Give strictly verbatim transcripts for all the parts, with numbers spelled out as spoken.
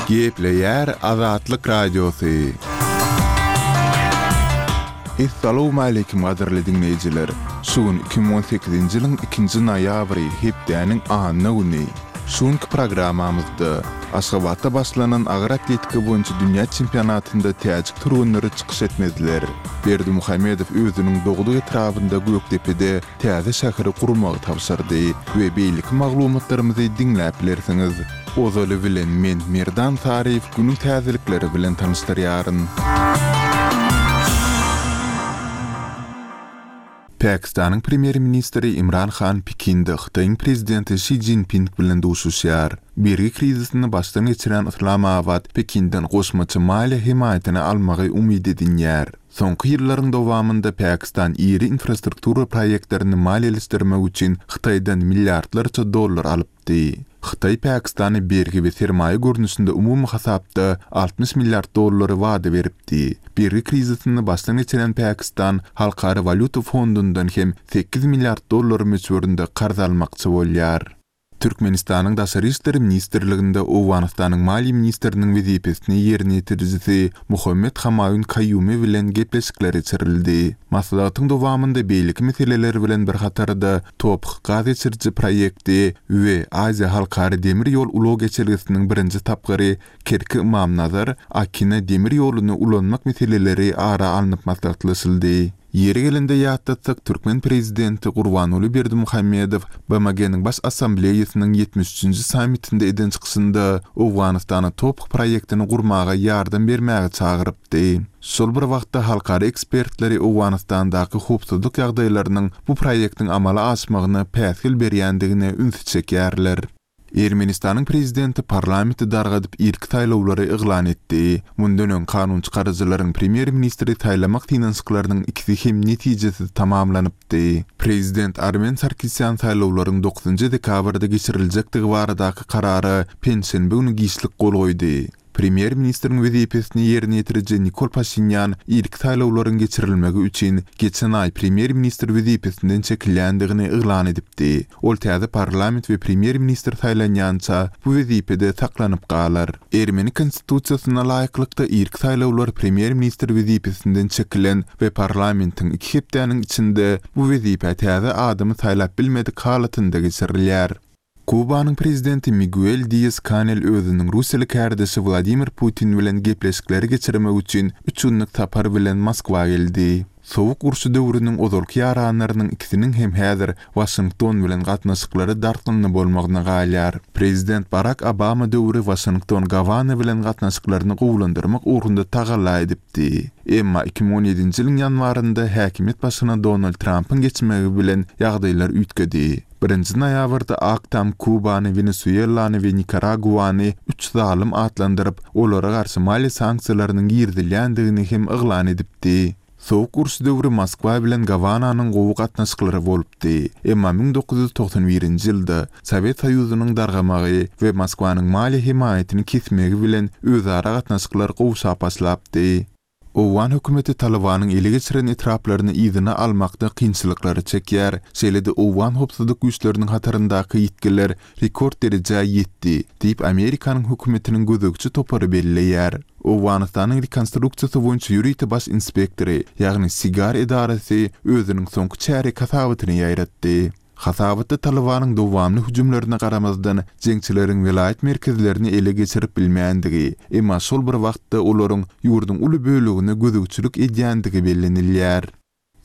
Gepleýär Azatlyk Radiosy. Essalawmaleýkim gadyrly diňleýjiler! Şu gün iki müň on sekizinji ýylyň ikinji noýabry, hepdäniň anna güni. Şu günki programmamyzda Aşgabatda başlanan agyr atletika boýunça dünýä çempionatynda täjik türgenleri çykyş etmezler. Berdimuhamedow özüniň dogduk etrabynda Gökdepede täze şäheri gurmagy tabşyrdy we beýleki maglumatlarymyzy diňläp bilersiňiz. Ozaly bilen men Merdan Saryýew günüň täzelikleri bilen tanyşdyrýaryn. Pakistanyň premýer-ministri Imran Han Pekinde Hytaýyň prezidenti Şi Szinping bilen duşuşýar. Bergi krizisini başdan geçirýän Yslamabat Pekinden goşmaça maliýe hemaýatyny almagy umyt edinýär. Soňky ýyllaryň dowamynda Pakistan iri infrastruktura proýektlerini maliýeleşdirmek üçin Hytaýdan milliardlarça dollar alypdy. Hytaý Pakistana bergi we sermaýa görnüşinde umumy hasapda altmyş milliard dollary wada beripdi. Bergi krizisini başdan geçiren Pakistan Halkara walýuta fondundan hem sekiz milliard dollar möçberinde karz almakçy bolýar. Türkmenistanyň Daşary işler ministrliginde Owganystanyň maliýe ministriniň wezipesini ýerine ýetirijisi Muhammet Hamaýun Kaýumi bilen gepleşikler geçirildi. Maslahatyň dowamynda beýleki meseleler bilen bir hatarda Toph gaz geçiriji proýekti we Aziýa halkara demir ýol ulag geçelgesiniň birinji tapgyry Kerki-Ymamnazar Akina demir ýoluny ulanmak meseleleri ara alnyp maslahatlaşyldy. Ýeri gelende ýatlatsak, türkmen prezidenti Gurbanguly Berdimuhamedow B M G-niň Baş Assambleýasynyň ýetmiş üçünji sammitinde eden çykyşynda Owganystana Toph proýektini gurmaga ýardam bermäge çagyrypdy. Şol bir wagtda halkara ekspertleri Owganystandaky howpsuzlyk ýagdaýlarynyň bu proýektiň amala aşmagyna päsgel berýändigine ünsi çekýärler. Ermenistanyň prezidenti parlamenti dargadyp irki saýlawlary yglan etdi. Mundan öň kanun çykaryjylaryň premýer-ministri saýlamak synanyşyklarynyň ikisi hem netijesiz tamamlanypdy. Prezident Armen Sarkisýan saýlawlaryň dokuzynjy dekabrda geçiriljekdigi baradaky karara penşenbe günü giçlik gol goýdy. Premýer-ministriň wezipesini ýerine ýetiriji Nikol Paşinýan irki saýlawlaryň geçirilmegi üçin geçen aý premýer-ministr wezipesinden çekilýändigini yglan edipdi. Ol täze parlament we premýer-ministr saýlanýança bu wezipede saklanyp galar. Ermeni konstitusiýasyna laýyklykda irki saýlawlar premýer-ministr wezipesinden çekilen we parlamentiň iki hepdäniň içinde bu wezipä täze adamy saýlap bilmedik halatynda geçirilýär. Kubanyň prezidenti Miguel Dias-Kanel özüniň Russiýaly kärdeşi Wladimir Putin bilen gepleşikleri geçirmek üçin üç günlük sapar bilen Moskwa geldi. Sowuk urşy döwrüniň ozalky ýaranlarynyň ikisiniň hem häzir Waşington bilen gatnaşyklary dartgynly bolmagyna galýar. Prezident Barack Obama döwri Waşington Gawana bilen gatnaşyklaryny gowulandyrmak ugrunda tagalla edipdi. Emma iki müň on ýedinji ýylyň ýanwarynda häkimiýet başyna Donald Trumpyň geçmegi bilen ýagdaýlar üýtgedi. Birinji noýabrda Ak Tam Kubany, Wenesuelany we Nikaraguany üç zalym atlandyryp, olara garşy maliýe sanksiýalarynyň girizilýändigini hem yglan edipdi. Sowuk uruş döwri Moskwa bilen Gawananyň gowy gatnaşyklary bolupdy. Emma müň dokuz ýüz togsan birinji ýylda Sowet Soýuzynyň dargamagy we Moskwanyň maliýe hemaýatyny kesmegi bilen özara gatnaşyklar gowşap başlapdy. Owgan hökümeti Talibanyň ele geçiren etraplaryny yzyna almakda kynçylyklary çekýär. Şeýle-de Owgan howpsuzlyk güýçleriniň hataryndaky ýitgiler rekord derejä ýetdi, diýip Amerikanyň hökümetiniň gözegçi topary belleýär. Owganystanyň rekonstruksiýasy boýunça ýörite baş inspektory, ýagny SIGAR edarasy özüniň soňky çärek hasabatyny ýaýratdy. Hasabatda Talibanyň dowamly hüjümlerine garamazdan jeňçileriň welaýat merkezlerini ele geçirip bilmändigi, emma şol bir wagtda olaryň ýurduň uly bölegine gözegçilik edýändigi bellenilýär.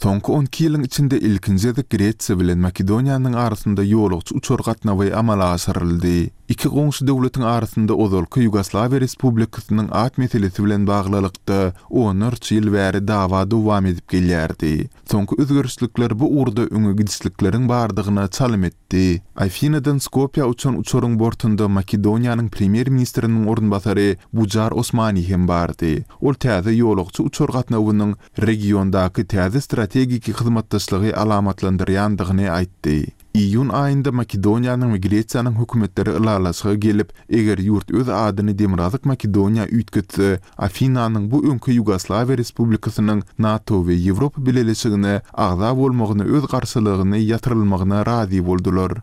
Soňky on iki ýylyň içinde ilkinji gezek Gresiýa bilen Makedoniýanyň arasynda ýolagçy uçar gatnawy amala aşyryldy. Iki goňşy döwletiň arasynda ozalky Ýugoslawiýa Respublikasynyň at meselesi bilen baglylykda onlarça ýyl bäri dawa dowam edip gelýärdi. Soňky özgerişlikler bu ugurda öňe gidişlikleriň bardygyna çalym etdi. Afinadan Skopýa uçan uçaryň bortunda Makedoniýanyň premýer-ministriniň orunbasary Bujar Osmani hem bardy. Ol täze ýolagçy uçar gatnawynyň regiondaky täze strategik hyzmatdaşlygy alamatlandyrýandygyny aýtdy. Iýun aýynda Makedoniýanyň we Gresiýanyň hökümetleri ylalaşyga gelip, eger ýurt öz adyny Demirgazyk Makedoniýa üýtgetse, Afinanyň bu öňki Ýugoslawiýa Respublikasynyň NATO we Ýewropa Bileleşigine agza bolmagyna öz garşylygyny ýatyrylmagyna razy boldular.